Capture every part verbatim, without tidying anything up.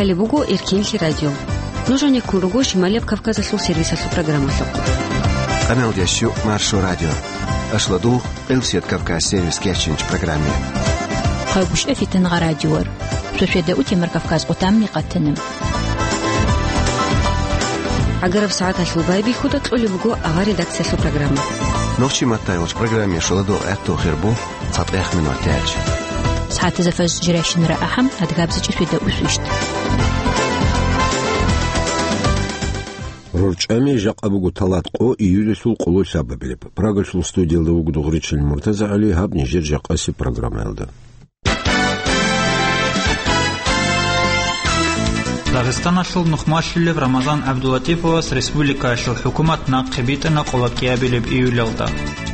Гьале буго Эркенлъи радио. Нуж гьанеккун руго Шималияб Кавказалъул сервисалъул программалъухъ. Къамел дящу Маршо радио. Ашладу Элсият Кавказ сервис кечинч программе. Хъайгъуш эфитан гъа радиор. Сосведа утемар Кавказ къутамни къатанам. Агараб сагӀаталъул байбихьуда кьолеб буго авар редакциялъул программа. Нохчи маттайолч программе шоладо гӀатту хирбу. ЦатӀех минут тяч. СагӀатазда фаз жирайщинара ахӀам, адгабзичӀи светда усвищт. РорчӀами жакъа буго талат къо июлалъул къоло лъабабилеб. Прагалъул студиялда вуго дугъричил МуртазагӀали, гьаб нижер жакъаси программаялда. Дагъистаналъул нухмалъулев Рамазан ГӀабдулатиповас республикаялъул хӀукумат нахъе битӀана къоло кӀиабилеб июлалда.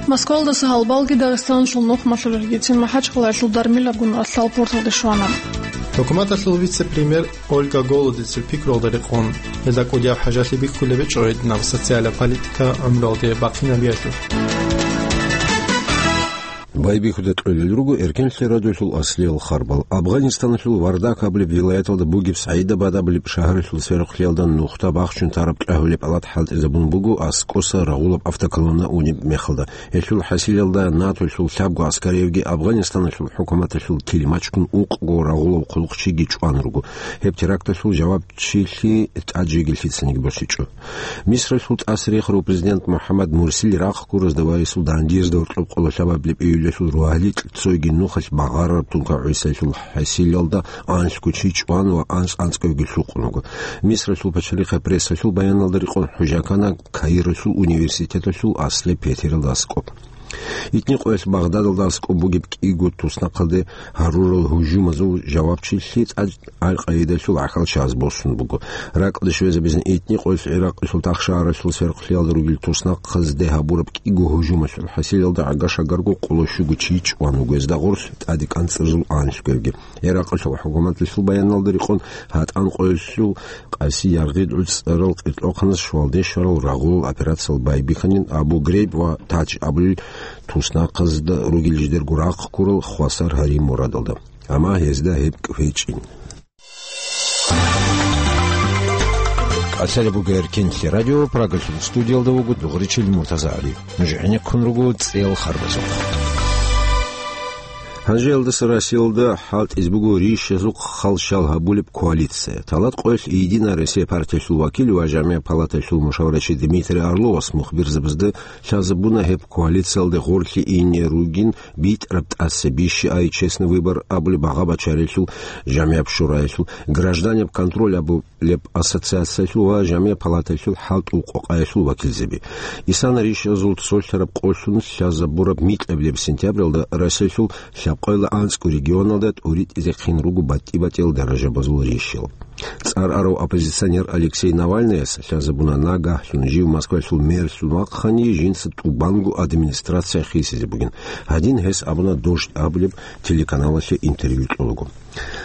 Москвалдаса гьалбалги Дагъистаналъул нухмалъулев Егецин МахӀачкъалаялъул дармилабгун ралъдал порталде щвана. ХӀукуматалъул вице-премьер Ольга Голодецил пикруялда рекъон, гьелда кӀудияб хӀажалъи бихьулеб гьечӀо гьединаб социалаб политика гӀумруялде бахъинабиялъе. Байбихьуда кьолел руго Эркенлъи радиолъул аслиял харбал. Афганистаналъул Вардак абулеб вилаяталда бугеб СагӀидабад абулеб шагьаралъул сверухълъиялда нухда бахчун тараб кьагьулеб палат хӀалтӀизабун буго аскӀоса рагъулаб автоколонна унеб мехалда. Гьелъул хӀасилалда НАТОлъул лъабго аскариявги Афганистаналъул хӀукуматалъул килимачгун укъго рагъулав хъулухъчиги чӀван руго. Гьеб теракталъул жавабчилъи тӀад жеги лъицаниги босичӀо. Мисралъул тӀасарихарав президент МухӀаммад Мурсил рахъ гуразда ва гьесул дандиязда гьоркьоб къоло лъабабилеб июлалъул рогьалил цойги нухалъ багъарараб тункагӀусалъул хӀасилалда анлъго чи чӀван ва анцӀ-анцӀгоги лъукъун вуго. Мисралъул пачалихъе прессалъул баяналда рекъон хӀужахъана Каиралъул университеталъул аслияб петералда аскӀоб. Итни къоялъ Багъдадалда аскӀоб бугеб кӀиго туснахъалде гьарурал гьужумазул жавабчилъи тӀад Аль-Къаидалъул гӀахьалчагӀаз босун буго. Ракьалде щвезабизин итни къоялъ ГӀиракъалъул тахшагьаралъул сверухълъиялда ругел туснахъазде гьабураб кӀиго гьужумалъул хӀасилалда гӀага-шагарго къоло щуго чи чӀван вуго, гьезда гъорлъ тӀаде кӀанцӀарзул анлъгоги. ГӀиракъалъул хӀукуматалъул баяналда рекъон гьатӀан къоялъул къаси яргъи гӀуцӀарал кьеркьохъаназ щвалде щварал рагъулал операциял байбихьанин Абу Грейб ва Тадж абулел туснахъазда ругел жидерго рахъ ккурал хвасар гьарин мурадалда. Амма гьезда гьеб кӀвечӀин. КӀалъалеб буго Эркенлъи радио, Прагалъул студиялда вуго дугъричил МуртазагӀали. Нуж гӀенеккун руго цӀеял харбазухъ. Гьанже илдаса Россиялда хӀалтӀизе буго рищазухъ халщал гьабулеб коалиция. Талат къоялъ «Единая Россия» партиялъул вакил ва ЖамигӀ палаталъул мушаварачи Дмитрий Орловас мухбирзабазда лъазабуна гьеб коалициялде гъорлъе ине ругин битӀараб тӀаса «Бищи ай, честный выбор» абулеб багъа бачарелъул ЖамигӀаб шураялъул, «Гражданин под контролем» абулеб ассоциациялъул ва ЖамигӀ палаталъул хӀалтӀул къокъаялъул вакилзаби. Исана рищазул цолъараб къолъун лъазабураб микьабилеб сентябралда Россиялъул лъабкъоялда анцӀго регионалда тӀуритӀизехъин руго батӀи-батӀиял даражабазул рищал. ЦӀар арав оппозиционер Алексей Навальныяс лъазабуна нагагьлъун жив Москвалъул мэрлъун вахъани, жинца тӀубанго администрация хисизе бугин. Гьадин гьес абуна «Дождь» абулеб телеканалалъе интервью кьолаго.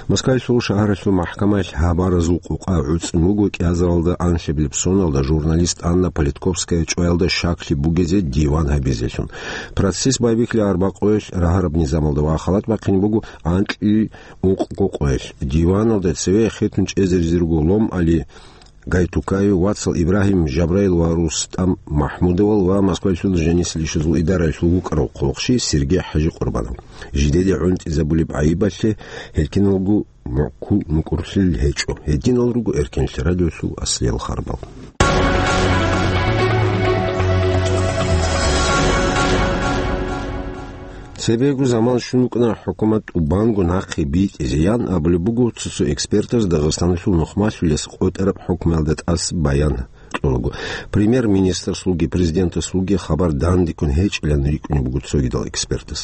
Москвалъул шагьаралъул махӀкамаялъ гьабаразул къокъа гӀуцӀун буго кӀиазаралда анлъабилеб соналда журналист Анна Политковская чӀваялда щаклъи бугезе диван гьабизелъун. Процесс байбихьи арбакъоялъ рагьараб низамалда ва халат бахъин буго анкьи ункъго къоялъ. Диваналда цеве хетун чӀезаризе руго Лом-Али Гайтукаев, вацал Ибрагьим Жабраил ва РустӀам МахӀмудовал ва Москвалъул жанисел ишазул идараялъул вукӀарав хъулухъчи Сергей ХӀажи Къурбанов. Жидеде гӀунтӀизабулеб гӀайибалъе гьел киналго мукӀу-, мукӀурлъи гьечӀо. Гьединал руго Эркенлъи радиолъул аслиял харбал. Цебего заман щун вукӀана хӀукумат тӀубанго нахъе битӀизеян абулеб буго цо-цо экспертаз Дагъистаналъул нухмалъулес къотӀараб хӀукмуялда тӀаса баян кьолаго. Премьер-министрасулги президентасулги хабар дандеккун гьечӀилан рикӀкӀунеб буго цогидал экспертас.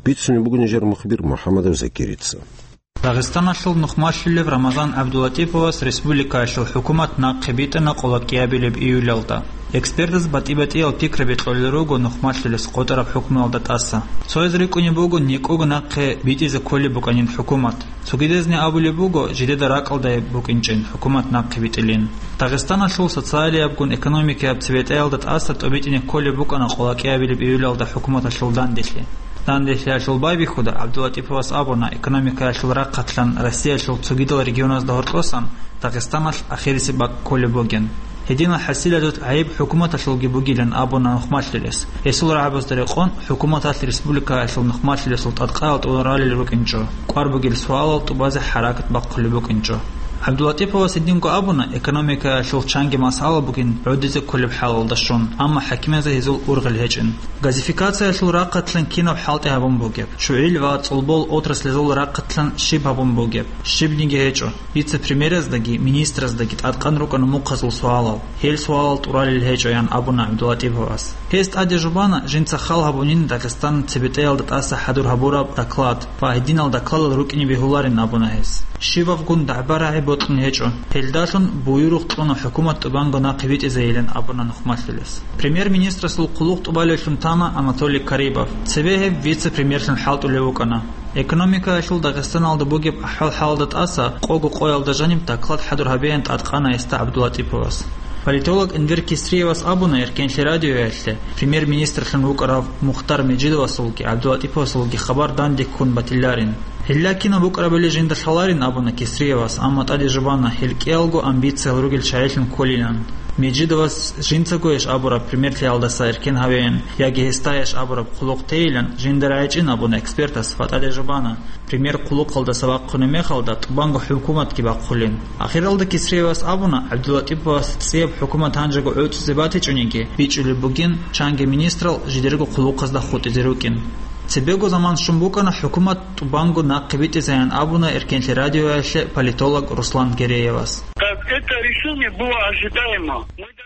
Бицунеб буго нижер мухбир МухӀаммадов Закирица. Дагъистаналъул нухмалъулев Рамазан ГӀабдулатиповас республикаялъул хӀукумат нахъе битӀана къоло кӀиабилеб июлалда. Экспертаз батӀи-батӀиял пикраби кьолел руго нухмалъулес къотӀараб хӀукмуялда тӀаса. Цояз рикӀкӀунеб буго некӀого нахъе битӀизе кколеб букӀанин хӀукумат. Цогидазни абулеб буго, жидеда ракӀалда гьеб букӀинчӀин хӀукумат нахъе битӀилин. Дагъистаналъул социалиябгун экономикияб цебетӀаялда тӀаса тӀобитӀине кколеб букӀана къоло кӀиабилеб июлалда хӀукуматалъул данделъи. Данделъиялъул байбихьуда ГӀабдулатӀиповас абуна, экономикаялъул рахъалъан Россиялъул цогидал регионазда гьоркьосан Дагъистаналъ ахирисеб бакӀ кколеб бугин. Гьединал хӀасилазул гӀайиб хӀукуматалъулги бугилан абуна нухмалъулес. Гьесул рагӀабазда рекъон, хӀукуматалъ республикаялъул нухмалъулесул тӀадкъаял тӀуралел рукӀинчӀо, кӀвар бугел суалал тӀубазе хӀаракат бахъулеб букӀинчӀо. ГӀабдулатӀиповас гьединго абуна, экономикаялъул чанги масъала бугин гӀодизе кколеб хӀалалда щун, амма хӀакимазе гьезул ургъел гьечӀин. Газификациялъул рахъалъан кинаб хӀалтӀи гьабун бугеб, чугӀил ва цӀолбол отраслазул рахъалъан щиб гьабун бугеб, щибниги гьечӀо. Вице-премьераздаги министраздаги тӀадкъан рукӀана мухъазул суалал, гьел суалал тӀуралел гьечӀо, ян абуна ГӀабдулатӀиповас. Гьес тӀаде жубана, жинца хал гьабунин Дагъистаналъ цебетӀеялда тӀаса хӀадур гьабураб доклад ва гьединал докладал рукӀине бегьуларин абуна гьес. Щибабгун дагӀба-рагӀи бокьун гьечӀо, гьелдалъун буюрухъ кьуна хӀукумат тӀубанго нахъе битӀизейилан абуна нухмалъулес. Премьер-министрасул хъулухъ тӀубалевлъун тана Анатолий Карибов, цебе гьеб вице-премьерлъун хӀалтӀулев вукӀана. Экономикаялъул Дагъистаналда бугеб ахӀвал-хӀалалда тӀаса къого къоялда жаниб доклад хӀадур гьабеян тӀадкъана гьесда ГӀабдулатӀиповас. Политолог Энвер Кисриевас абуна Эркенлъи радиоялъе, премьер-министрлъун вукӀарав Мухтар Межидовасулги ГӀабдулатӀиповасулги хабар данде ккун батиларин. Гьелла кинаб букӀарабали жинда лъаларин абуна Кисриевас, амма тӀаде жубана, гьел кӀиялго амбициял ругел чагӀилъун кколилан. Межидовас жинцаго гьеш абураб примерлъиялдаса эркен гьавеян яги гьесда гьеш абураб хъулухъ тейилан жинда рагӀичӀин абуна экспертас ва тӀаде жубана, премьер хъулухъалдаса вахъунеб мехалда тӀубанго хӀукуматги бахъулин. Ахиралда Кисриевас абуна, ГӀабдулатӀиповас цӀияб хӀукумат гьанжего гӀуцӀизе батичӀониги, бичӀчӀулеб бугин, чанги министрал жидерго хъулухъазда хутӀизе рукӀин. Цебего заман щун букӀана хӀукумат тӀубанго нахъе битӀизаян абуна Эркенлъи радиоялъе политолог Руслан Гереевас. Так, это решение было ожидаемо.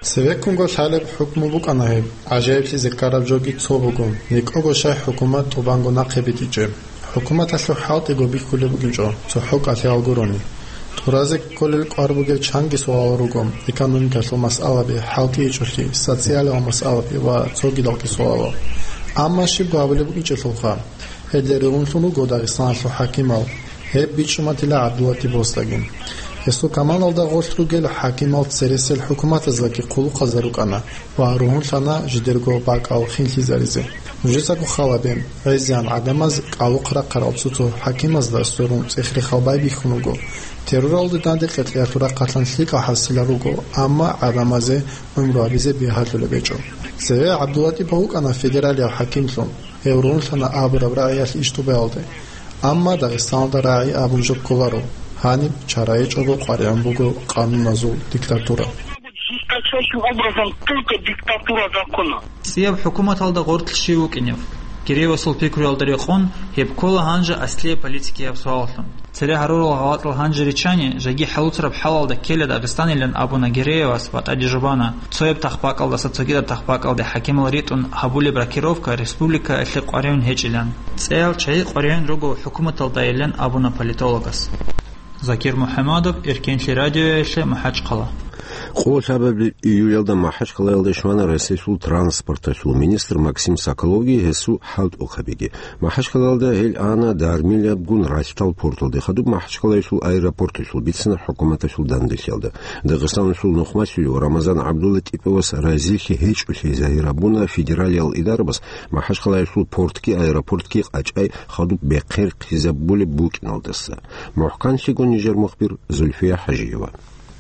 Цевеккунго лъалеб хӀукму букӀана гьеб, гӀажаиблъизе ккараб жоги цо буго, некӀого щай хӀукумат тӀубанго нахъе битӀичӀеб. ХӀукуматалъул хӀалтӀиго бихьулеб букӀинчӀо, цохӀо кӀалъиял гурони. ТӀуразе кколел кӀвар бугел чанги суалал руго, экономикалъул масъалаби, хӀалтӀичӀолъи, социалияб масъалаби ва цогидалги суалал. Амма щибго гьабулеб букӀинчӀелъулха, гьелде ругьунлъун руго Дагъистаналъул хӀакимал, гьеб бичӀчӀуматила ГӀабдулатӀиповасдаги. Гьесул каманалда гъорлъ ругел хӀакимал цересел хӀукуматаздаги хъулухъазда рукӀана ва ругьунлъана жидерго бакӀал хинлъизаризе. Нужецаго халабе, гӀезегӀан гӀадамаз кӀалухъ рахъарал цо-цо хӀакимазда сверун цӀех-рехал байбихьун руго. Терроралде данде кьекьиялъул рахъалъан лъикӀал хӀасилал руго, амма гӀадамазе гӀумру гьабизе бигьалъулеб гьечӀо. Цеве ГӀабдулатӀипов вукӀана федералияв хӀакимлъун. Гьев ругьунлъана абураб рагӀиялъ ишдубаялде. Амма Дагъистаналда рагӀи абун жо кколаро, гьаниб чарайичӀого къваригӀун буго къануназул диктатура. Жесточайшим образом только диктатура закона. ЦӀияб хӀукуматалда гъорлъ щив вукӀинев? Гереевасул пикруялда рекъон, гьеб ккола гьанже аслияб политикияб суаллъун. Цере гьарурал гъалатӀал гьанже риччани, жаги хӀалуцараб хӀалалда ккела Дагъистанилан абуна Гереевас ва тӀаде жубана, цояб тахпакъалдаса цогидаб тахпакъалде хӀакимал ритӀун гьабулеб рокировка республикаялъе къваригӀун гьечӀилан. ЦӀеял чагӀи къваригӀун руго хӀукуматалдайилан абуна политологас. Закир МухӀамадов, Эркенлъи радиоялъе, МахӀачхъала. Къоло лъабабилеб июлялда МахӀачхъалаялде щвана Россиялъул транспорталъул министр Максим Соколовги гьесул хӀалтӀухъабиги. МахӀачхъалаялда гьел ана Дармилабгун ралъдал порталде, хадуб МахӀачхъалаялъул аэропорталъул бицана хӀукуматалъул данделъиялда. Дагъистаналъул нухмалъулев Рамазан ГӀабдулатӀиповас разилъи гьечӀолъи загьир гьабуна федералиял идарабаз МахӀачхъалаялъул портги аэропортги къачӀай хадуб бехъерхъизабулеб букӀиналдаса. МухӀканлъиго нижер мухбир Зульфия ХӀажиева.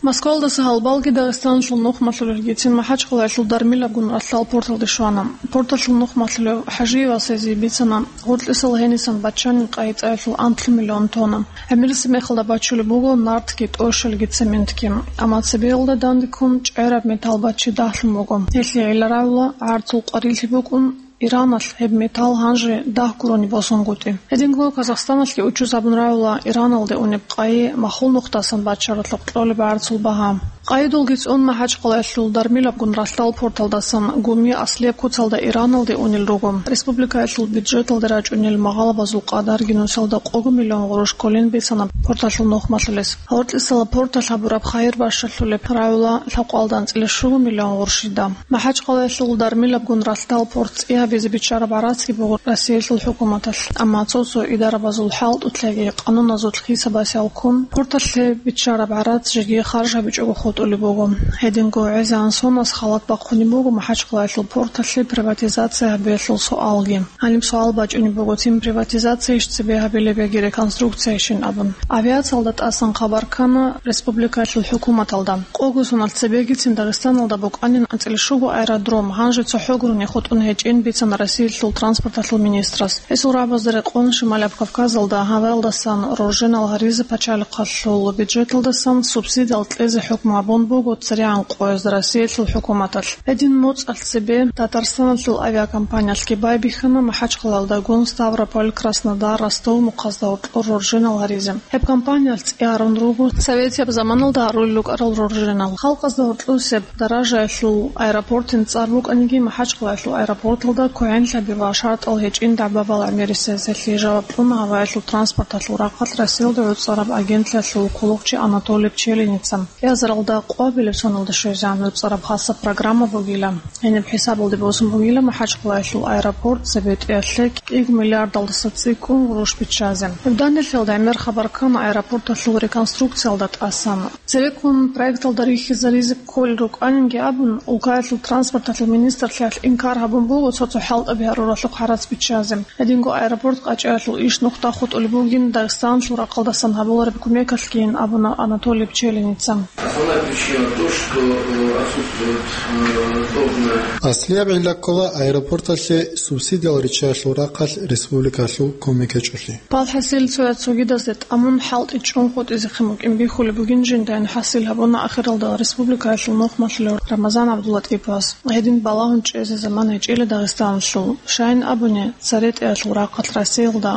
Москвалдаса гьалбалги Дагъистаналъул нухмалъулелгицин МахӀачхъалаялъул Дармилабгун ралъдал порталде щвана. Порталъул нухмалъулев ХӀажиевас гьезие бицана, гъоркьисал гьенисан баччанин къайи цӀаялъул анлъго миллион тонна. ГӀемерисеб мехалда бачулеб буго нартги, тӀощалги, цементги. Амма цебеялда данде ккун чӀегӀераб металл баччи дагьлъун буго. Гьелъие гӀилла рагӀула гӀарцул къварилъи букӀун, Ираналъ гьеб металл гьанже дагь гурони босунгутӀи. Гьединго Казахстаналъги учуз гьабун рагӀула Ираналде унеб къайи махул нухдасан баччаралъухъ кьолеб гӀарцул багьа. Къайидулги цӀун МахӀачхъалаялъул Дармилабгун ралъдал порталдасан Гуми аслияб куцалда Ираналде унел руго. Республикаялъул бюджеталде рачӀунел магъалабазул къадарги нусалда къого миллион гъурущ кколин бицана порталъул нухмалъулес. Гьоркьисала порталъ гьабураб хайир бащалъулеб рагӀула лъабкъоялда анцӀила щуго миллион гъурщида. МахӀачхъалаялъул Дармилабгун ралъдал порт цӀи гьабизе биччараб гӀарацги буго Россиялъул хӀукуматалъ, амма цо-цо идарабазул хӀалтӀулъаги къануназул хисабасеял ккун, порталъе биччараб гӀарац жеги харж гьабичӀого хутӀ. тӀолеб буго. Гьединго гӀезегӀан соназ халат бахъунеб буго МахӀачхъалаялъул порталъе приватизация гьабиялъул суалги. Гьаниб суал бачӀунеб буго, цин приватизация иш цебе гьабилеб яги реконструкциябищин абун. Авиациялда тӀасан хабар ккана республикаялъул хӀукуматалда. Къого соналъ цебегицин Дагъистаналда букӀанин анцӀила щуго аэродром, гьанже цохӀо гурони хутӀун гьечӀин бицана Россиялъул транспорталъул министрас. Гьесул рагӀабазда рекъон Шималияб Кавказалда гьаваялдасан роржинал гьаризе пачалихъалъул бюджеталдасан субсидиял кьезе хӀукму гьабун буго церегӀан къоязда Россиялъул хӀукуматалъ. Гьедин моцӀалъ цебе Татарстаналъул авиакомпаниялъги байбихьана МахӀачхъалаялдагун Ставрополь, Краснодар, Ростов мухъазда гьоркьор роржинал гьаризе. Гьеб компаниялъ цӀи гьарун руго советияб заманалда гьарулел рукӀарал роржинал. Халкъазда гьоркьосеб даражаялъул аэропортин цӀар букӀаниги, МахӀачхъалаялъул аэропорталда квегӀенлъаби ва шартӀал гьечӀин дагӀба-балагӀ мерисезелъи жаваб кьуна гьаваялъул транспорталъул рахъалъ Расиялда гӀуцӀараб агентлъиялъул кколохъчи Анатолий Пчелиница. Кьиазаралда къоабилеб соналда щвезегӀан гӀуцӀараб хасаб программа бугила. Гьениб хӀисабалде босун бугила МахӀачхъалаялъул аэропорт цебетӀиялъе кӀиго миллиардалдаса цӀикӀкӀун гъурущ биччазе. Гьеб данделъиялда гӀемер хабар ккана аэропорталъул реконструкциялда тӀасан. Цереккун проекталда рихьизаризе кколел рукӀанинги абун, улкаялъул транспорталъул министрлъиялъ инкар гьабун буго цо-цо хӀалтӀаби гьаруралъухъ гьарац биччазе. Гьединго аэропорт къачӀаялъул иш нухда хутӀулеб бугин Дагъистаналъул рахъалдасан гьабулареб кумекалъгийин абуна Анатолий Пчелиница. Основная причина то, что, э, отсутствует, э, должное. Аслияб гӀилла ккола аэропорталъе субсидиял риччаялъул рахъалъ республикалъул кумек гьечӀолъи. ПалхӀасил цояз цогидазде тӀамун хӀалтӀи чӀун хутӀизехъин букӀин бихьулеб бугин жиндайин хӀасил гьабуна ахиралда республикаялъул нухмалъулев Рамазан ГӀабдулатӀиповас. Гьедин балагьун чӀезе заман гьечӀила Дагъистаналъул. Щайин абуни, церетӀиялъул рахъалъ Россиялда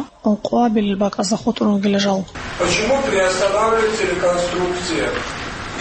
къвабилел бакӀазда хутӀун ругила жал. Почему приостанавливается реконструкция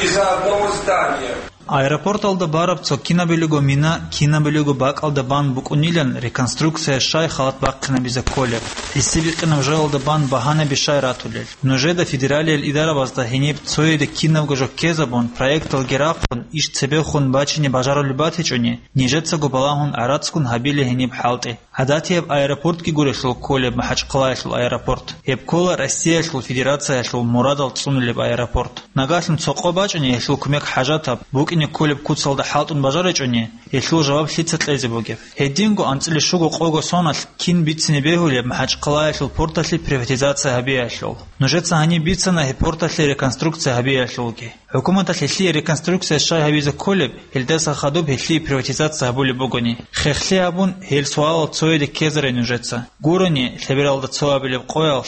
из-за одного здания? Аэропорталда бараб цо кинабилего мина, кинабилего бакӀалда бан букӀунилан реконструкция щай халат бахъинабизе кколеб? ГӀисибикъинаб жоялда бан багьанаби щай ратулел? Нужеда федералиял идарабазда гьениб цояде кинабго жо ккезабун, проекталги рахъун, иш цебехун бачине бажарулеб батичӀони, нижецаго балагьун гӀарацгун гьабила гьениб хӀалтӀи. ГӀадатияб аэропортги гурелъул кколеб МахӀачхъалаялъул аэропорт. Гьеб ккола Россиялъул Федерациялъул мурадал цӀунулеб аэропорт. Нагагьлъун цо къо бачӀани гьелъул кумек хӀажатаб, букӀине кколеб куцалда хӀалтӀун бажаричӀони, гьелъул жаваб лъица кьезе бугеб? Гьединго анцӀила щуго къого соналъ кин бицине бегьулеб МахӀачхъалаялъул порталъе приватизация гьабиялъул? Нужеца гьаниб бицана гьеб порталъе реконструкция гьабиялъулги. ХӀукуматалъ гьелъие реконструкция щай гьабизе кколеб, гьелдаса хадуб гьелъие приватизация гьабулеб бугони, хехлъи гьабун, гьел суалал цояде ккезарай нужеца. Гурони, лъебералда цо абилеб къоялъ,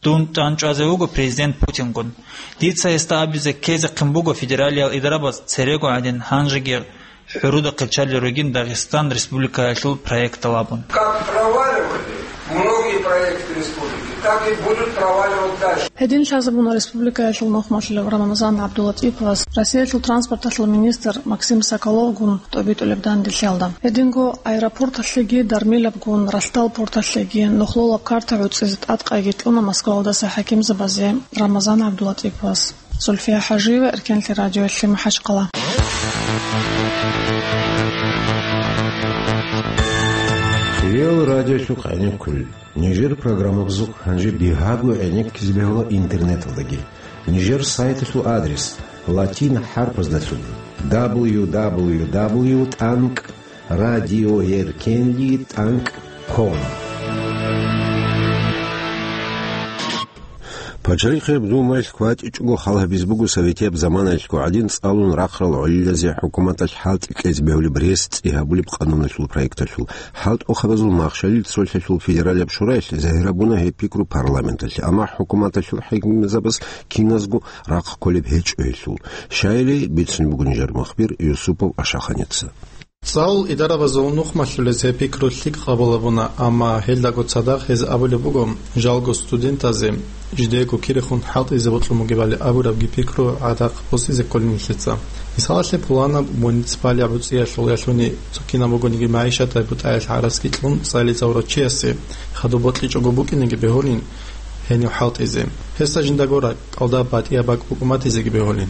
дун тӀанчӀвазе вуго президент Путингун. Дица гьесда абизе ккезехъин буго федералиял идарабаз церего гӀадин гьанжеги хӀуруда хъечалел ругин Дагъистан Республикаялъул проектал абун. Как проваливали многие проекты республики, так и будут проваливать дальше. Гьедин лъазабуна республикаялъул нухмалъулев Рамазан ГӀабдулатӀиповас Россиялъул транспорталъул министр Максим Соколовгун тӀобитӀулеб данделъиялда. Гьединго аэропорталъеги, дармилабгун ралъдал порталъеги нухлулаб карта гӀуцӀизе тӀадкъайги кьуна Москваялдаса хӀакимзабазе Рамазан ГӀабдулатӀиповас. Зульфия ХӀажиева, Эркенлъи радиоялъе, МахӀачхъала. Хириял радиолъухъ гӀенеккулел. Нижер программабазухъ гьанже бигьаго гӀенеккизе бегьула интернеталдаги. Нижер сайталъул адрес латин хӀарпаздалъун: дабл ю дабл ю дабл ю тӀанкӀ радиоэркенлъи тӀанкӀ ком. ПачалихӀеб Думаялъ кватӀичӀого хал гьабизе буго советияб заманаялъго гӀадин цӀалун рахъарал гӀолилазе хӀукуматалъ хӀалтӀи кьезе бегьулеб рес цӀи гьабулеб къануналъул проекталъул. ХӀалтӀухъабазул махщалил цолъалъул федералияб шураялъ загьир гьабуна гьеб пикру парламенталъе, амма хӀукуматалъул хӀакимзабаз киназго рахъ кколеб гьечӀо гьелъул. Щайили, бицунеб буго нижер мухбир Юсупов Ашаханица. ЦӀалул идарабазул нухмалъулез гьеб пикру лъикӀ къабул гьабуна, амма гьелдаго цадахъ гьез абулеб буго, жалго студентазе жидеего кирехун хӀалтӀизе бокьун бугебали абурабги пикру гӀадахъ босизе кколин нилъеца. Мисалалъе, пуланаб муниципалияб гӀуцӀиялъул ялъуни цо кинаб бугониги магӀишаталъе бутӀаялъ гӀарацги кьун цӀализе гьавурав чиясе хадуб бокьичӀого букӀинеги бегьулин гьенив хӀалтӀизе. Гьесда жиндаго ракӀалда батӀияб бакӀ букӀун батизеги бегьулин.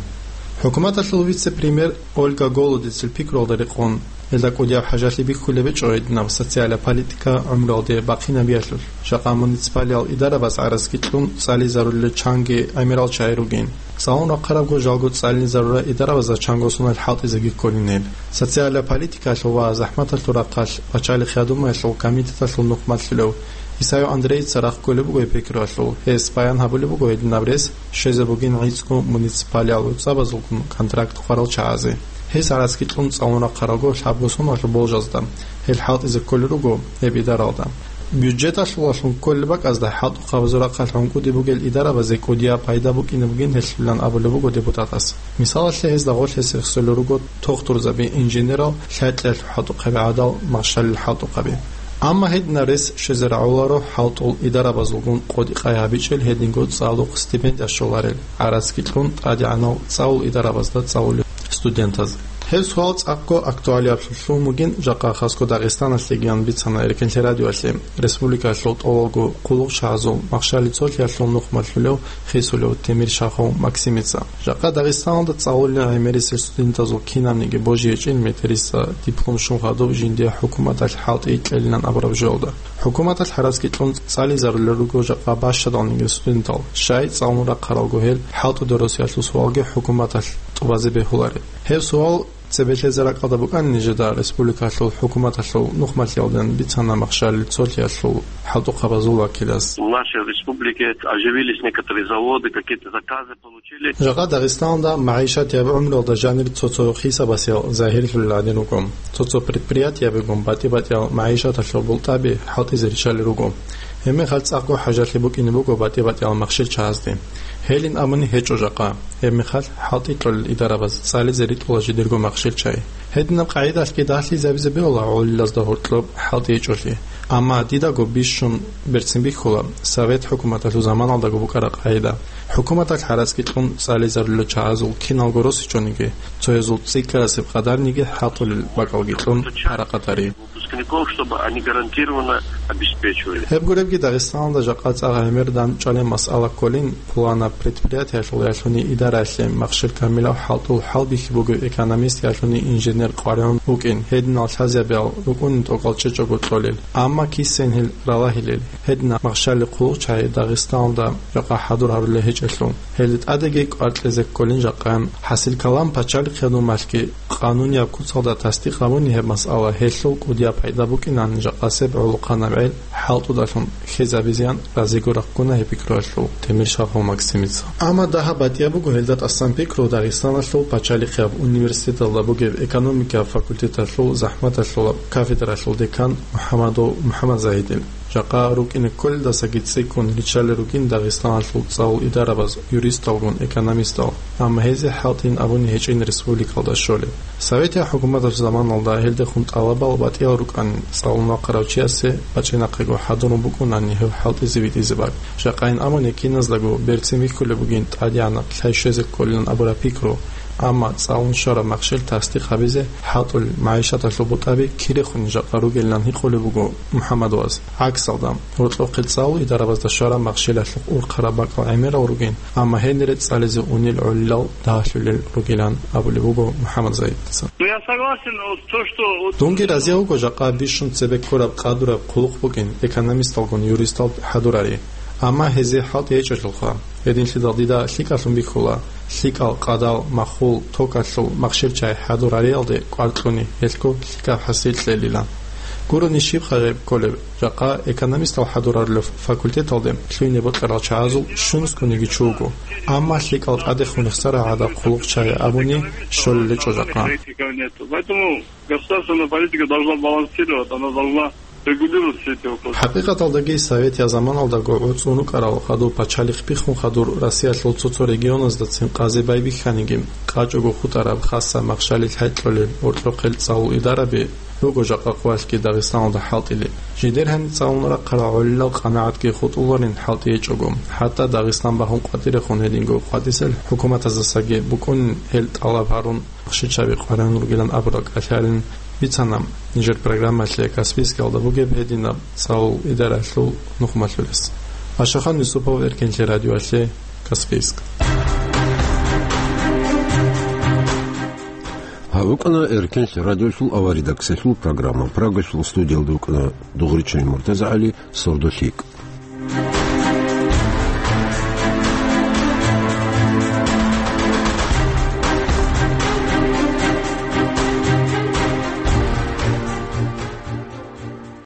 ХӀукуматалъул вице-премьер Ольга Голодецил пикруялда рекъон, Гьелда кӀудияб хӀажалъи бихьулеб гьечӀо гьединаб социалияб политика гӀумруялде бахъинабиялъулъ. Жакъа муниципалиял идарабаз гӀараскилъун цӀализарулел чанги гӀемерал чагӀи ругин. ЦӀалун рахъарабго жалго цӀалинизарурал идарабазда чанго соналъ хӀалтӀизеги кколин гьел. Социалияб политикалъул ва захӀматалъул рахъалъ пачалихъ ядумаялъул комитеталъул нухмалъулев Исаев Андреица рахъ кколеб буго гьеб пикруялъул. Гьес баян гьабулеб буго гьединаб рес щвезе бугин гӀицӀго муниципалиял гӀуцӀабазулгун контракт хъварал чагӀазе. Гьес гӀараскилъун цӀалун рахъарабго лъабго соналъул болжазда. Гьел хӀалтӀизе кколел руго гьеб идаралда. Бюджеталъулалъун кколеб бакӀазда хӀалтӀухъабазул рахъалъ гӀункӀуде бугел идарабазе кӀудияб пайда букӀине бугин гьелъулан абулеб буго депутатас. Мисалалъе, гьезда гъорлъ гьес рехсолел руго тохтурзаби, инженерал, лъай-кьеялъул хӀалтӀухъаби гӀадал, махщалил хӀалтӀухъаби. Амма гьединаб рес щвезе рагӀуларо хӀалтӀул идарабазулгун къотӀи-къай гьабичӀел гьединго цӀалухъ стипендия щоларел, гӀараскилъун тӀадегӀанал цӀалул идарабазда цӀалулел студентаз. Гьеб суал цӀакъго актуалиаблъун бугин жакъа хасго Дагъистаналъегиян бицана Эркенлъи радиоялъе республикалъул тӀолабго хъулухъчагӀазул махщали цолъиялъул нухмалъулев хисулев Темиршахов Максимица. Жакъа Дагъистаналда цӀалулел гӀемерисел студентазул кинабниги божи гьечӀин метериса диплом щун хадуб жиндие хӀукуматалъ хӀалтӀи кьелилан абураб жоялда. ХӀукуматалъ гӀараскилъун цӀализарулел руго жакъа бащадалниги студентал, щай цӀалун рахъаралго гьел хӀалтӀуде росиялъул суалги хӀукуматалъ тӀубазе бегьулареб. Гьеб суал цебе лъезе ракӀалда букӀани нижеда республикалъул хӀукуматалъул нухмалъиялден бицана махщалил цолъиялъул хӀалтӀухъабазул вакилас. В нашей республике оживились некоторые заводы, какие-то заказы получили. Жакъа Дагъистаналда магӀишатияб гӀумруялда жанир цо-цо хисабасел загьирлъулел гӀадин руго. Цо-цо предприятиябигун батӀи-батӀиял магӀишаталъул бултӀаби хӀалтӀизе риччалел руго. Гьебмехалъ цӀакъго хӀажалъи букӀине буго батӀи-батӀиял махщел чагӀазде. Гьелин абуни гьечӀо жакъа. Гьебмехалъ хӀалтӀи кьолел идарабаз цӀализе ритӀула жидерго махщел чагӀи. Гьединаб къагӀидалъги дагьлъизабизе бегьула гӀолилазда гьоркьоб хӀалтӀи гьечӀолъи. Амма дидаго бищун берцин бихьула Совет хӀукуматалъул заманалдаго букӀараб къагӀида. ХӀукуматалъ гӀараскилъун цӀализарулел чагӀазул киналго росичониги, цоязул цӀикӀкӀарасеб къадарниги хӀалтӀулел бакӀалги кьун парахъатари. Выпускников, чтобы они гарантированно обеспечивали. Гьеб гуребги Дагъистаналда жакъа цӀакъ гӀемер данчӀвалеб масъала кколин, пуланаб предприятиялъул ялъуни идараялъе махщел камилаб хӀалтӀул хӀалбихьи бугев экономист ялъуни инженер къваригӀун вукӀин, гьединал лъазабиял рукӀунин тӀокӀал чӀечӀого кьолел, амма кисен гьел ралагьилел, гьединаб махщалил хъулухъчагӀи Дагъистаналда жакъа хӀадур гьарулел гьечӀелъул. Гьелда тӀадеги кӀвар кьезе кколин жакъа. ХӀасил калам, пачалихъ ядумалъги къанунияб куцалда тасдикъ гьабуни гьеб масъала, гьелъул кӀудияб пайда букӀинан жакъасеб гӀолохъанаб гӀел хӀалтӀудалъун хьезабизеян разиго рахъуна гьеб пикруялъул Темиршахов Максимица. Амма дагьаб батӀияб буго гьелда тӀасан пикру Дагъистаналъул пачалихъияб университеталда бугеб экономикияб факультеталъул захӀматалъулаб кафедралъул декан МухӀамадов МухӀамадзагьидил. Жакъа рукӀине кколелдасаги цӀикӀкӀун риччалел ругин Дагъистаналъул цӀалул идарабаз юристалгун экономистал, амма гьезие хӀалтӀин абуни гьечӀин республикалда щолеб. Советияб хӀукуматалъул заманалда гьелдехун тӀалабал батӀиял рукӀанин, цӀалун вахъарав чиясе бачӀинахъего хӀадурун букӀунани гьев хӀалтӀизе витӀизе бакӀ. Жакъайин абуни киназдаго берцин вихьулеб бугин тӀадегӀанаб лъай щвезе кколилан абураб пикру, амма цӀалун щвараб махщел тасдикъ гьабизе хӀалтӀулел магӀишаталъул бутӀаби кирехун жакъа ругелилан гьикъулеб буго МухӀамадовас. ГӀаксалда, гьоркьохъел цӀалул идарабазда щвараб махщелалъухъ урхъараб бакӀал гӀемерал ругин, амма гьенире цӀализе унел гӀолилал дагьлъулел ругилан абулеб буго МухӀамадзагьидица. Ну, я согласен, вот то, что вот Дунги разияв вуго жакъа бищун цебе ккураб къадураб хъулухъ букӀин экономисталгун юристал хӀадурари, амма гьезие хӀалтӀи гьечӀелъулха. Гьединлъидал дида лъикӀалъун бихьула, лъикӀал къадал, махул, токалъул махщел чагӀи хӀадурариялде кӀвар кьуни гьелъго лъикӀаб хӀасил кьелилан. Гурони щибха гьеб кколеб, жакъа экономистал хӀадурарулев факультеталде лъугьине бокьарал чагӀазул щунускониги чи вуго, амма лъикӀал тӀадехун рехсарал гӀадаб хъулухъчагӀи абуни щолел гьечӀо жакъа. Поэтому государственная политика должна балансировать, она должна регулировать все эти вопросы. ХӀакъикъаталдаги советияб заманалдаго гӀуцӀун рукӀарал хадур пачалихъ биххун хадур Россиялъул цо-цо регионаздацин къазе байбихьаниги, къачӀого хутӀараб хасаб махщалил хӀекьулел гьоркьохъел цӀалул идараби руго жакъа къоялъги Дагъистаналда хӀалтӀилел. Жидер гьаниб цӀалун рахъарал гӀолилал къанагӀатги хутӀуларин хӀалтӀи гьечӀого, хӀатта Дагъистан багьун къватӀирехун гьединго къватӀисел хӀукуматаздасаги букӀунин гьел тӀалаб гьарун, махщел чагӀи къваригӀун ругилан абураб кӀалъалин бицана нижер программалъе Каспийскалда бугеб гьединаб цӀалул идаралъул нухмалъулес. Ашахан Юсупов, Эркенлъи радиоялъе, Каспийск. ВукӀана Эркенлъи радиолъул аваридаксалъул программа. Прагалъул студиялда вукӀана Дугъричай МуртазагӀали, «Сордо лъикӀ».